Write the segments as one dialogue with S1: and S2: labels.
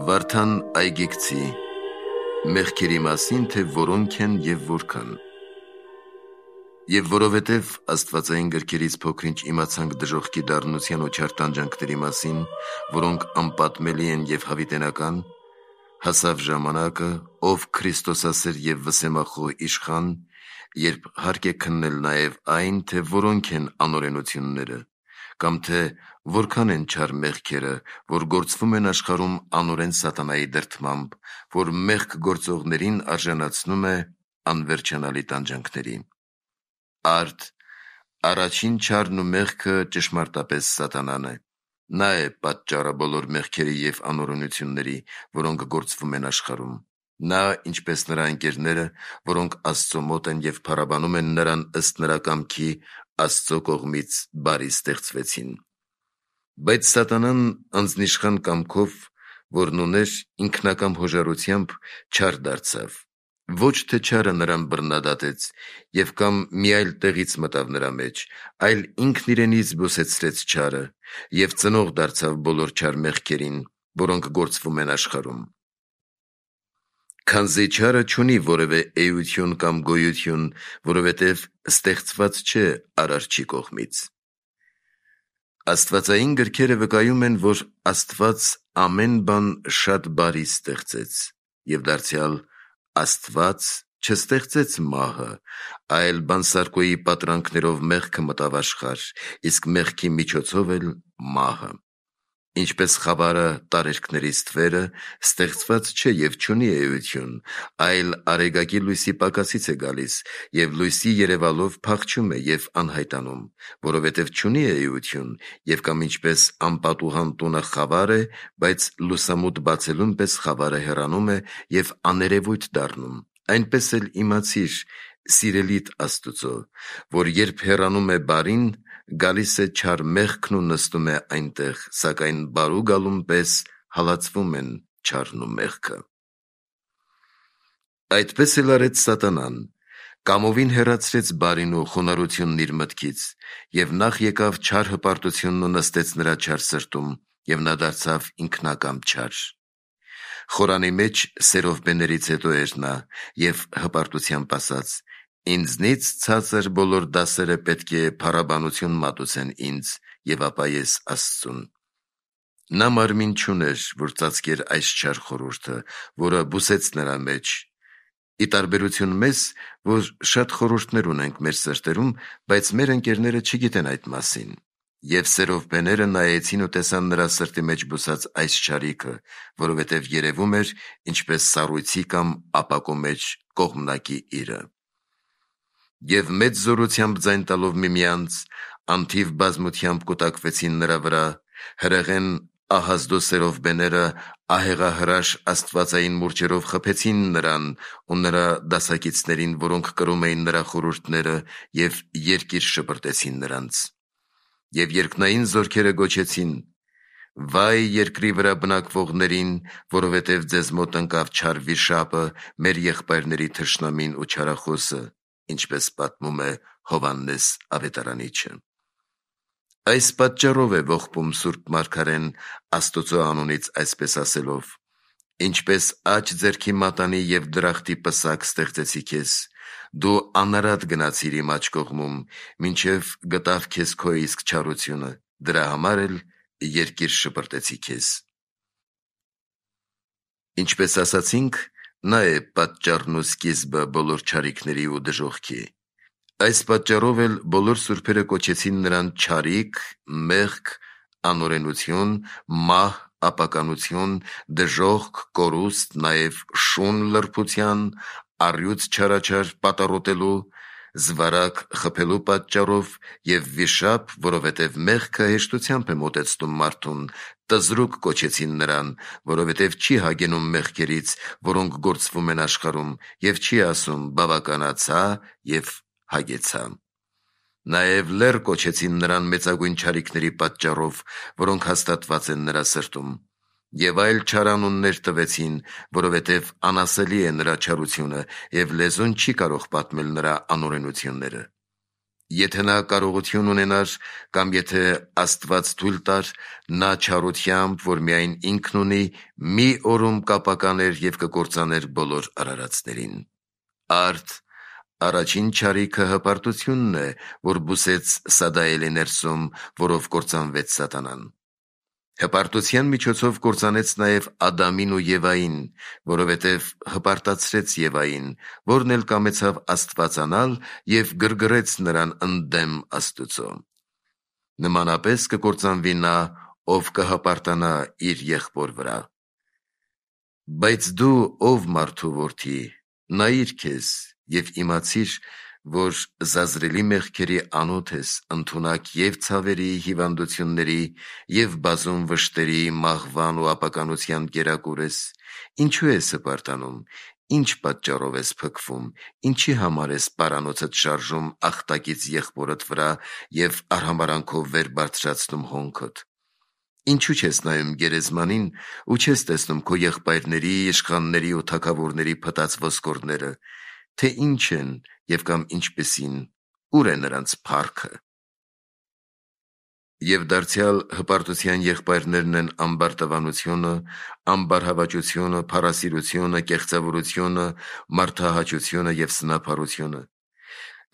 S1: Վարդան այգեկցի, մեղքերի մասին, թե որոնք են և որքան։ Եվ որովհետև աստվածային գրքերից փոքր-ինչ իմացանք դժոխքի դառնության ու չար տանջանքների մասին, որոնք անպատմելի են և հավիտենական, հասավ ժամանակը, ով Քրիստոսասեր և վսեմախոհ իշխան, երբ հարկ է քննել նաև այն, թե որոնք են անօրենությունները, կամ թե որքան են չար մեղքերը, որ գործվում են աշխարհում անօրեն սատանայի դրդմամբ, որ մեղք գործողներին արժանացնում է անվերջանալի տանջանքների։ Արդ, առաջին չարն ու մեղքը ճշմարտապես սատանան է։ Նա է պատճառը բոլոր մեղքերի և անօրենությունների, որոնք գործվում են աշխարհում։ Նա, ինչպես նրա ընկերները, որոնք Աստծո մոտ են և փառաբանում են նրան ըստ նրա կամքի, Աստծո կողմից բարի ստեղծվեցին։ Բայց սատանան անձնիշխան կամքով, որն ուներ, ինքնակամ հոժարությամբ չար դարձավ։ Ոչ թե չարը նրան բռնադատեց և կամ մի այլ տեղից մտավ նրա մեջ, այլ ինքն իրենից զբոսեցրեց չարը և ծնող դարձավ բոլոր չար մեղքերին, որոնք գործվում են աշխարհում։ Քանզի չարը չունի որևէ էություն կամ գոյություն, որովհետև ստեղծված չէ Արարչի կողմից։ Աստվածային գրքերը վկայում են, որ Աստված ամեն բան շատ բարի ստեղծեց, և դարձյալ Աստված չստեղծեց մահը, այլ բանսարկոյի պատրանքներով մեղքը մտավ աշխարհ, իսկ մեղքի միջոցով էլ մահը։ Ինչպես խավարը տարերքների ստվերը ստեղծված չէ և չունի էություն, այլ արեգակի լույսի պակասից է գալիս, և լույսի երևալով փախչում է և անհայտանում, որովհետև չունի էություն, և կամ ինչպես անպատուհան տունը խավար է, բայց լուսամուտ բացելուն պես խավարը հեռանում է և աներևույթ դառնում, այնպես էլ իմացիր, սիրելիդ Աստուծո, որ երբ հեռանում է բարին, գալիս է չար մեղքն ու նստում է այնտեղ, սակայն բարու գալուն պես հալածվում են չարն ու մեղքը։ Այդպես էլ արեց սատանան, կամովին հեռացրեց բարին ու խոնարհությունն իր մտքից, և նախ եկավ չար հպարտությունն ու նստեց նրա չար սրտում, և նա դարձավ ինքնակամ չար։ Խորանի մեջ սերով բեներից հետո էր նա, և հպարտությամբ ասաց. «Ինձնից ցածր բոլոր դասերը պետք է փառաբանություն մատուցեն ինձ, և ապա ես Աստծուն»։ Նա մարմին չուներ, որ ծածկեր այս չար խորհուրդը, որը բուսեց նրա մեջ, ի տարբերություն մեզ, որ շատ խորհուրդներ ունենք մեր սրտերում, բայց մեր ընկերները չգիտեն այդ մասին։ Եվ սերով բեները նայեցին ու տեսան նրա սրտի մեջ բուսած այս չարիքը, որովհետև երևում էր, ինչպես սառույցի կամ ապակու մեջ կողմնակի իրը։ Եվ մեծ զորությամբ ձայն տալով միմյանց, անթիվ բազմությամբ կուտակվեցին նրա վրա, հրեղեն ահազդու բեները ահեղահրաշ աստվածային մուրճերով խփեցին նրան ու նրա դասակիցներին, որոնք կրում էին նրա խորհուրդները, և երկիր շպրտեցին նրանց։ Եվ երկնային զորքերը գոչեցին. «Վայ երկրի վրա բնակվողներին, որովհետև ձեզ մոտ ընկավ չար վիշապը, մեր եղբայրների թշնամին ու չարախոսը», ինչպես պատմում է Հովհաննես ավետարանիչը։ Այս պատճառով է ողբում Սուրբ Մարգարեն Աստուծո անունից այսպես ասելով. «Ինչպես աջ ձեռքի մատանի և դրախտի պսակ ստեղծեցի քեզ, դու անարատ գնացիր իմ աջ կողմում, մինչև գտավ քեզ քո իսկ չարությունը, դրա համար էլ երկիր շպրտեցի քեզ»։ Ինչպես ասացինք, նա է պատճառն ու սկիզբը բոլոր չարիքների ու դժոխքի։ Այս պատճառով էլ բոլոր սուրբերը կոչեցին նրան չարիք, մեղք, անօրենություն, մահ, ապականություն, դժոխք, կորուստ, նաև շուն լրբության, առյուծ չարաչար պատառոտելու, զվարակ խփելու պատճառով, և վիշապ, որովհետև մեղքը հեշտությամբ է մոտեցնում մարդուն, տզրուկ կոչեցին նրան, որովհետև չի հագենում մեղքերից, որոնք գործվում են աշխարհում, և չի ասում բավականացա և հագեցա։ Նաև լեռ կոչեցին նրան մեծագույն չարիքների պատճառով, որոնք հաստատված են նրա սրտում, և այլ չար անուններ տվեցին, որովհետև անասելի է նրա չարությունը, և լեզուն չի կարող պատմել նրա անօրենությունները։ Եթե նա կարողություն ունենար, կամ եթե Աստված թույլ տար, նա չարությամբ, որ միայն ինքն ունի, մի օրում կապականեր և կկործաներ բոլոր արարածներին։ Արդ առաջին չարիքը հպարտությունն է, որ բուսեց Սադայելի ներսում, որով կործանվեց Սատանան։ Հպարտության միջոցով կործանեց նաև Ադամին ու Եվային, որովհետև հպարտացրեց Եվային, որն էլ կամեցավ աստվածանալ և գրգռեց նրան ընդդեմ Աստուծո։ Նմանապես կկործանվի նա, ով կհպարտանա իր եղբոր վրա։ Բայց դու, ով մարդու որդի, նայիր քեզ և իմացիր, որ զազրելի մեղքերի անոթ ես, ընդունակ և ցավերի, հիվանդությունների և բազում վշտերի, մահվան ու ապականության կերակուր ես, ինչու ես հպարտանում, ինչ պատճառով ես փքվում, ինչի համար ես պարանոցդ շարժում աղտակից եղբորդ վրա և արհամարհանքով վեր բարձրացնում հոնքդ։ Ինչու չես նայում գերեզմանին ու չես տեսնում քո եղբայրների, իշխանների ու թագավորների փտած ոսկորները, թե ինչ են և կամ ինչպիսին, ուր է նրանց փառքը։ Եվ դարձյալ հպարտության եղբայրներն են ամբարտավանությունը, ամբարհավաճությունը, փառասիրությունը, կեղծավորությունը, մարդահաճությունը և սնափառությունը։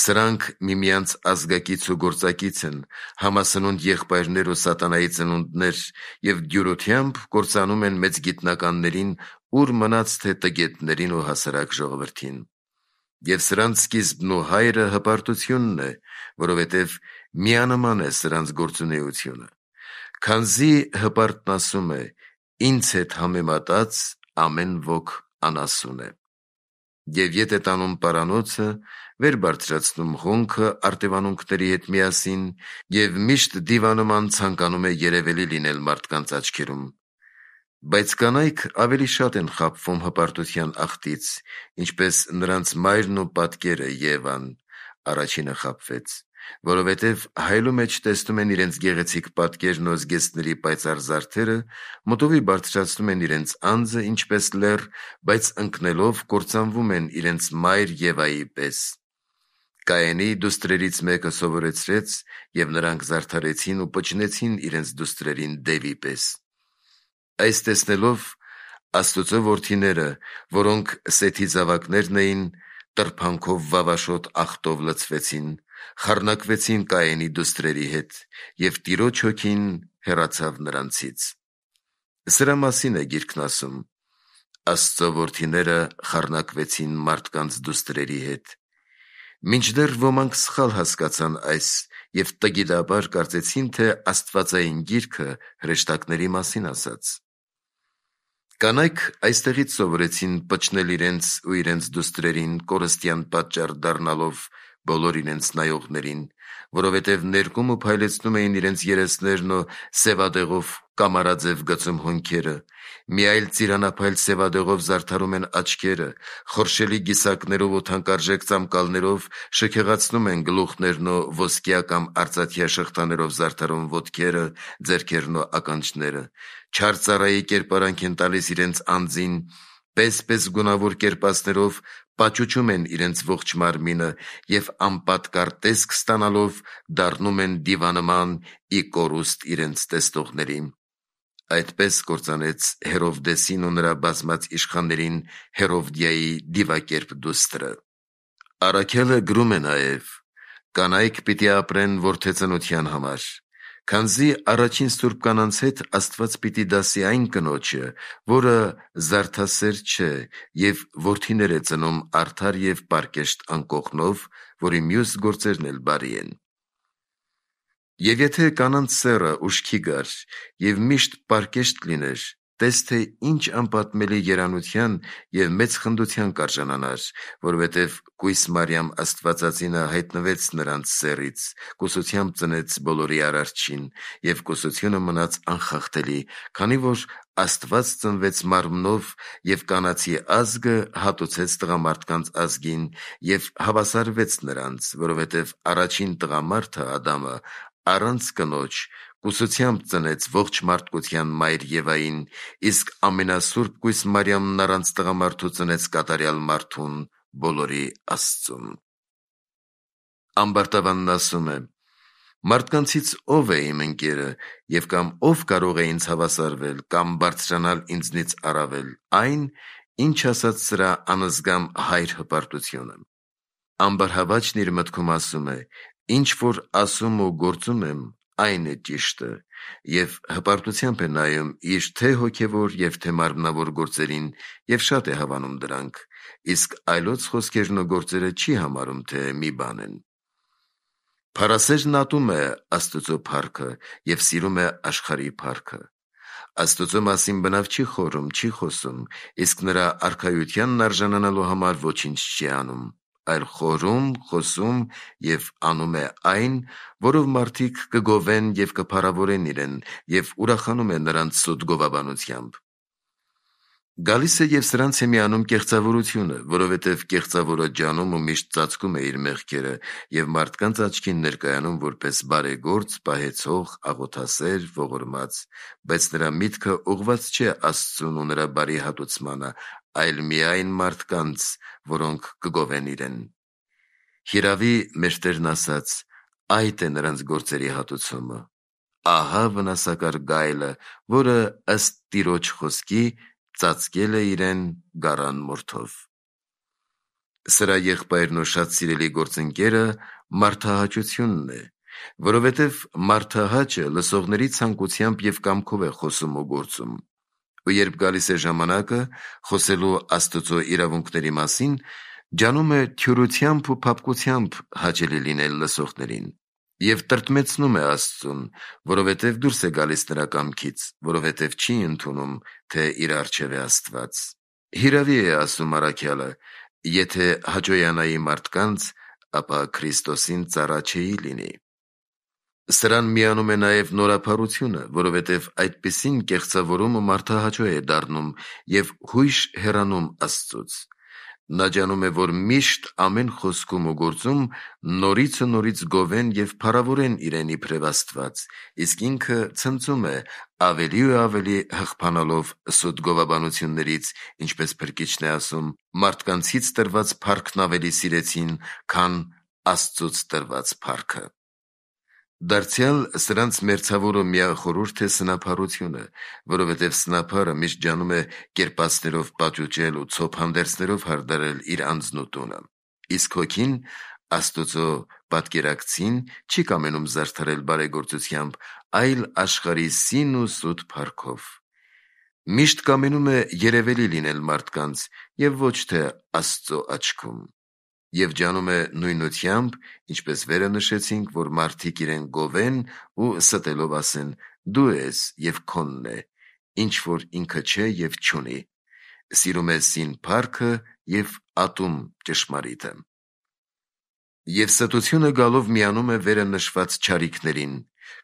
S1: Սրանք միմյանց ազգակից ու գործակից են, համասնունդ եղբայրներ ու սատանայի ծնունդներ և դյուրությամբ կործանում են մեծ գիտնականներին, ուր մնաց թե տգետներին ու հասարակ ժողովրդին։ Եվ սրանց սկիզբն ու հայրը հպարտությունն է, որովհետև միանման է սրանց գործունեությունը։ Քանզի հպարտն ասում է. «Ինձ հետ համեմատած ամեն ոք անասուն է»։ Եվ ետ է տանում պարանոցը, վեր բարձրացնում հոնքը արտևանունքների հետ միասին և միշտ դիվանման ցանկանում է երևելի լինել մարդկանց աչքերում։ Բայց կանայք ավելի շատ են խաբվում հպարտության աղտից, ինչպես նրանց մայրն ու պատկերը Եվան առաջինը խաբվեց, որովհետև հայելու մեջ տեսնում են իրենց գեղեցիկ պատկերն ու զգեստների պայծառ զարդերը, մտովի բարձրացնում են իրենց անձը ինչպես լեռ, բայց ընկնելով կործանվում են իրենց մայր Եվայի պես։ Կայենի դուստրերից մեկը սովորեցրեց, և նրանք զարդարեցին ու պճնեցին իրենց դուստրերին դևի պես։ Այս տեսնելով Աստուծո որդիները, որոնք Սեթի զավակներն էին, տրփանքով վավաշոտ աղտով լցվեցին, խառնակվեցին Կայենի դուստրերի հետ, և Տիրոջ հոգին հեռացավ նրանցից։ Սրա մասին է Գիրքն ասում. «Աստծո որդիները խառնակվեցին մարդկանց դուստրերի հետ»։ Մինչդեռ ոմանք սխալ հասկացան այս և տգիտաբար կարծեցին, թե Աստվածային Գիրքը հրեշտակների մասին ասաց։ Կանայք այստեղից սովորեցին պճնել իրենց ու իրենց դուստրերին, կորստյան պատճառ դառնալով բոլոր իրենց նայողներին, որովհետև ներկում ու փայլեցնում էին իրենց երեսներն ու սևադեղով կամարաձև գծում հոնքերը, մի այլ ծիրանափայլ սևադեղով զարդարում են աչքերը, խորշելի գիսակներով ու թանկարժեք ծամկալներով շքեղացնում են գլուխներն ու ոսկյա կամ արծաթյա շղթաներով զարդարում ոտքերը, ձեռքերն ու ականջները, չար ծառայի կերպարանք են տալիս իրենց անձին, պես գունավոր կերպասներով պաճուճում են իրենց ողջ մարմինը և անպատկառ տեսք ստանալով դառնում են դիվանման ի կորուստ իրենց տեսնողների։ Այդպես կործանեց Հերովդեսին ու նրա բազմած իշխաններին Հերովդիայի դիվակերպ դուստրը։ Առաքելը գրում է նաև. «Կանայք պիտի ապրեն որդեծնության համար, քանզի առաջին սուրբ կանանց հետ Աստված պիտի դասի այն կնոջը, որը զարդասեր չէ և որդիներ է ծնում արդար և պարկեշտ անկողնով, որի մյուս գործերն էլ բարի են։ Եվ եթե կանանց սեռը ուշքի գար և միշտ պարկեշտ լիներ, տես թե ինչ անպատմելի երանության և մեծ խնդության կարժանանար, որովհետև կույս Մարիամ Աստվածածինը հայտնվեց նրանց սեռից, կուսությամբ ծնեց բոլորի Արարչին, և կուսությունը մնաց անխախտելի, քանի որ Աստված ծնվեց մարմնով, և կանացի ազգը հատուցեց տղամարդկանց ազգին և հավասարվեց նրանց, որովհետև առաջին տղամարդը Ադամը առանց կնոջ կուսությամբ ծնեց ողջ մարդկության մայր Եվային, իսկ ամենասուրբ կույս Մարիամն առանց տղամարդու ծնեց կատարյալ մարդուն, բոլորի Աստծուն»։ Ամբարտավանն ասում է. «Մարդկանցից ով է իմ ընկերը, և կամ ով կարող է ինձ հավասարվել, կամ բարձրանալ ինձնից առավել, այն, ինչ ասաց սրա անզգամ հայր հպարտությունը»։ Ամբարհավաճն իր մտքում ասում է. «Ինչ որ ասում ու գործում եմ, այն է ճիշտը», և հպարտությամբ է նայում իր թե հոգևոր և թե մարմնավոր գործերին և շատ է հավանում դրանք, իսկ այլոց խոսքերն ու գործերը չի համարում, թե մի բան են։ Փառասերն ատում է Աստծո փառքը և սիրում է աշխարհի փառքը։ Աստծո մասին բնավ չի խորում, չի խոսում, իսկ նրա արքայությանն արժանանալու համար ոչինչ չի անում, այլ խորում, խոսում և անում է այն, որով մարդիկ կգովեն և կփառավորեն իրեն, և ուրախանում է նրանց սուտ գովաբանությամբ։ Գալիս է և սրանց է միանում կեղծավորությունը, որովհետև կեղծավորը ջանում ու միշտ ծածկում է իր մեղքերը և մարդկանց աչքին ներկայանում որպես բարեգործ, պահեցող, աղոթասեր, ողորմած, բայց նրա միտքը ուղղված չէ Աստծուն ու նրա բարի հատուցմանը, այլ միայն մարդկանց, որոնք կգովեն իրեն։ Հիրավի, մեր Տերն ասաց. «Այդ է նրանց գործերի հատուցումը։ Ահա վնասակար գայլը, որը ըստ Տիրոջ խոսքի ծածկել է իրեն գառան մորթով»։ Սրա եղբայրն ու շատ սիրելի գործընկերը մարդահաճությունն է, որովհետև մարդահաճը լսողների ցանկությամբ և կամքով է խոսում ու գործում, ու երբ գալիս է ժամանակը խոսելու Աստծո իրավունքների մասին, ջանում է թյուրությամբ ու փափկությամբ հաճելի լինել լսողներին և տրտմեցնում է Աստծուն, որովհետև դուրս է գալիս նրա կամքից, որովհետև չի ընդունում, թե իր առջև է Աստված։ Հիրավի է ասում առաքյալը. «Եթե հաճոյանայի մարդկանց, ապա Քրիստոսին ծառա չէի լինի»։ Սրան միանում է նաև նորափառությունը, որովհետև այդպիսին կեղծավորումը մարդահաճո է դառնում և հույժ հեռանում Աստծուց։ Նա ջանում է, որ միշտ ամեն խոսքում ու գործում նորից ու նորից գովեն և փառավորեն իրեն իբրև Աստված, իսկ ինքը ցնծում է, ավելի ու ավելի հղբանալով սուտ գովաբանություններից, ինչպես Փրկիչն է ասում. «Մարդկանցից տրված փառքն ավելի սիրեցին, քան Աստծուց տրված փառքը»։ Դարձյալ սրանց մերձավոր ու միախորհուրդ է սնափառությունը, որովհետև սնափառը միշտ ջանում է կերպասներով պաճուճել ու ցոփ հանդերձներով հարդարել իր անձն ու տունը, իսկ հոգին Աստծո պատկերակցին չի կամենում զարդարել բարեգործությամբ, այլ աշխարհի սին ու սուտ փառքով։ Միշտ կամենում է երևելի լինել մարդկանց և ոչ թե Աստծո աչքում, և ջանում է նույնությամբ, ինչպես վերը նշեցինք, որ մարդիկ իրեն գովեն ու ստելով ասեն. «Դու ես և քոնն է», ինչ որ ինքը չէ և չունի։ Սիրում է սին փառքը և ատում ճշմարիտը։ Եվ ստությունը գալով միանում է վերը նշված չարիքներին,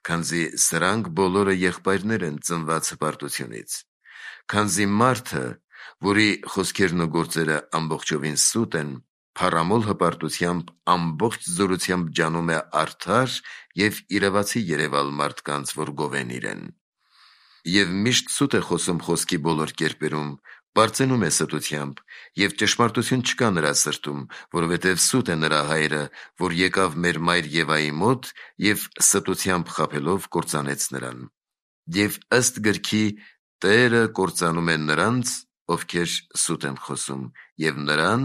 S1: քանզի սրանք բոլորը եղբայրներ են ծնված հպարտությունից։ Քանզի մարդը, որի խոսքերն ու գործերը ամբողջովին սուտ են, փառամոլ հպարտությամբ ամբողջ զորությամբ ջանում է արդար և իրավացի երևալ մարդկանց, որ գովեն իրեն։ Եվ միշտ սուտ է խոսում խոսքի բոլոր կերպերում, պարծենում է ստությամբ, և ճշմարտություն չկա նրա սրտում, որովհետև սուտ է նրա հայրը, որ եկավ մեր մայր Եվայի մոտ և ստությամբ խաբելով կործանեց նրան։ Եվ ըստ գրքի Տերը կործանում է նրանց, ովքեր սուտ են խոսում, և նրան,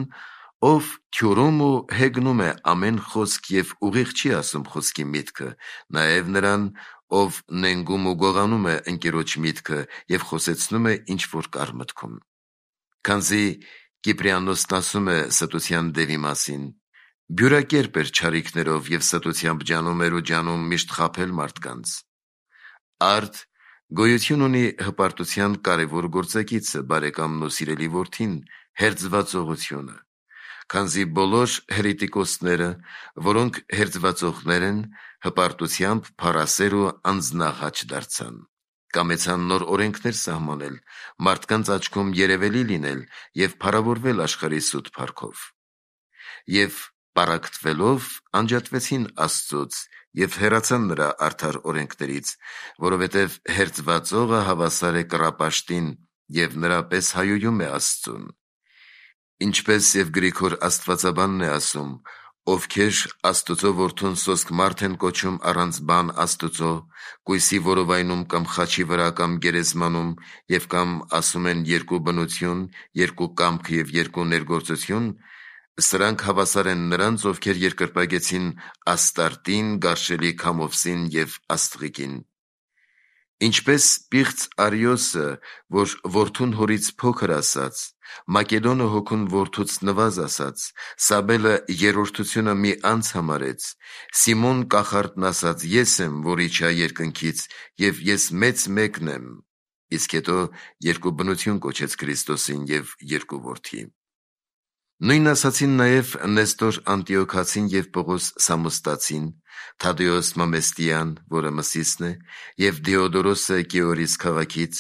S1: ով թյուրում ու հեգնում է ամեն խոսք և ուղիղ չի ասում խոսքի միտքը, նաև նրան, ով նենգում ու գողանում է ընկերոջ միտքը և խոսեցնում է ինչ որ կար մտքում։ Քանզի Կիպրիանոսն ասում է ստության դևի մասին. «Բյուրակերպ էր չարիքներով և ստությամբ ջանում էր ու ջանում միշտ խաբել մարդկանց»։ Արդ գոյություն ունի հպարտության կարևոր գործակիցը, բարեկամն ու սիրելի որդին, հերձվածողությունը, քանզի բոլոր հերետիկոսները, որոնք հերձվածողներ են, հպարտությամբ փառասեր ու անձնահաճ դարձան, կամեցան նոր օրենքներ սահմանել, մարդկանց աչքում երևելի լինել և փառավորվել աշխարհի սուտ փառքով։ Եվ պառակտվելով անջատվեցին Աստծուց և հեռացան նրա արդար օրենքներից, որովհետև հերձվածողը հավասար է կռապաշտին և նրա պես հայոյում է Աստծուն։ Ինչպես և Գրիգոր աստվածաբանն է ասում. ովքեր Աստուծո որդուն սոսկ մարդ են կոչում առանց բան Աստուծո, կույսի որովայնում կամ խաչի վրա կամ գերեզմանում և կամ ասում են երկու բնություն, երկու կամք և երկու ներգործություն, սրանք հավասար են նրանց, ովքեր երկրպագեցին Աստարտին, գարշելի Քամովսին և Աստղիկին։ Ինչպես պիղծ Արիոսը, որ որդուն հորից փոքր ասաց, Մակեդոնը հոգուն որդուց նվազ ասաց, Սաբելը երրորդությունը մի անց համարեց, Սիմոն կախարդն ասաց, ես եմ, որ իջա երկնքից, և ես մեծ մեկն եմ, իսկ հետո երկու բնություն կոչեց Քրիստոսին և երկու որդի։ Նույն ասացին նաև Նեստոր Անտիոքացին և Պողոս Սամոստացին, Թադեոս Մամեստիան, որը Մսիսն է, և Դիոդորոսը Կիորիս քաղաքից,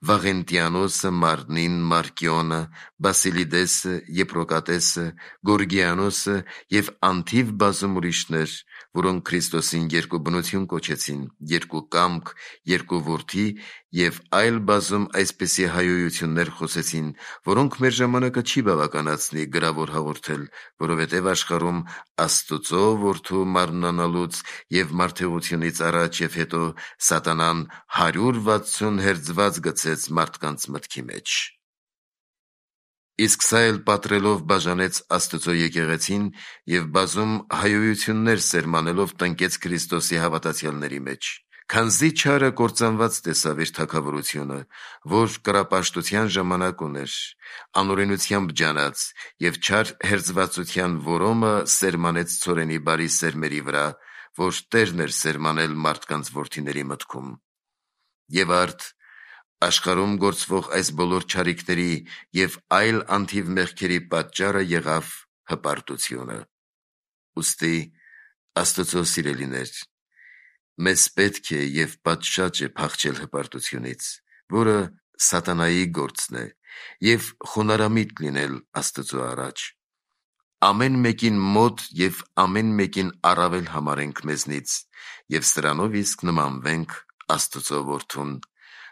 S1: Վաղենտիանոսը, Մարնին, Մարկիոնը, Բասիլիդեսը, Եպրոկատեսը, Գորգիանոսը և անթիվ բազում ուրիշներ, որոնք Քրիստոսին երկու բնություն կոչեցին, երկու կամք, երկու որդի և այլ բազում այսպիսի հայոյություններ խոսեցին, որոնք մեր ժամանակը չի բավականացնի գրավոր հաղորդել, որովհետև աշխարհում Աստուծո որդու մարմնանալուց և մարդեղությունից առաջ և հետո սատանան 160 հերձված գցեց մարդկանց մտքի մեջ։ Իսկ սա էլ պատռելով բաժանեց Աստուծո եկեղեցին և բազում հայոյություններ սերմանելով տնկեց Քրիստոսի հավատացյալների մեջ, քանզի չարը կործանված տեսավ իր թագավորությունը, որ կռապաշտության ժամանակ ուներ, անօրենությամբ ջանաց և չար հերձվածության որոմը սերմանեց ցորենի բարի սերմերի վրա, որ Տերն էր սերմանել մարդկանց որդիների մտքում։ Եվ արդ աշխարհում գործվող այս բոլոր չարիքների և այլ անթիվ մեղքերի պատճառը եղավ հպարտությունը։ Ուստի Աստծո սիրելիներ, մեզ պետք է և պատշաճ է փախչել հպարտությունից, որը սատանայի գործն է, և խոնարհամիտ լինել Աստծո առաջ։ Ամեն մեկին մոտ և ամեն մեկին առավել համարենք մեզնից և սրանով իսկ նմանվենք Աստծո որդուն,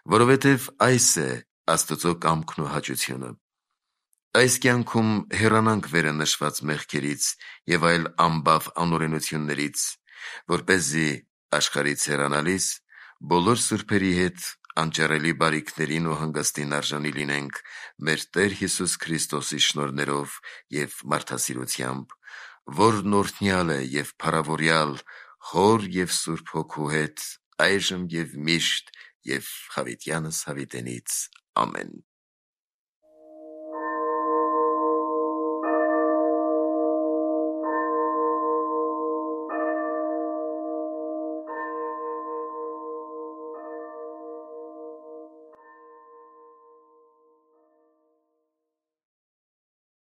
S1: որովհետև այս է Աստծո կամքն ու հաճությունը։ Այս կյանքում հեռանանք վերը նշված մեղքերից և այլ անբավ անօրենություններից, որպեսզի աշխարհից հեռանալիս բոլոր սուրբերի հետ անճարելի բարիքներին ու հանգստին արժանի լինենք մեր Տեր Հիսուս Քրիստոսի շնորհներով և մարդասիրությամբ, որն օրհնյալ է և փառավորյալ Հոր և Սուրբ Հոգու հետ, այժմ և միշտ և հավիտյանս հավիտենից։ Ամեն։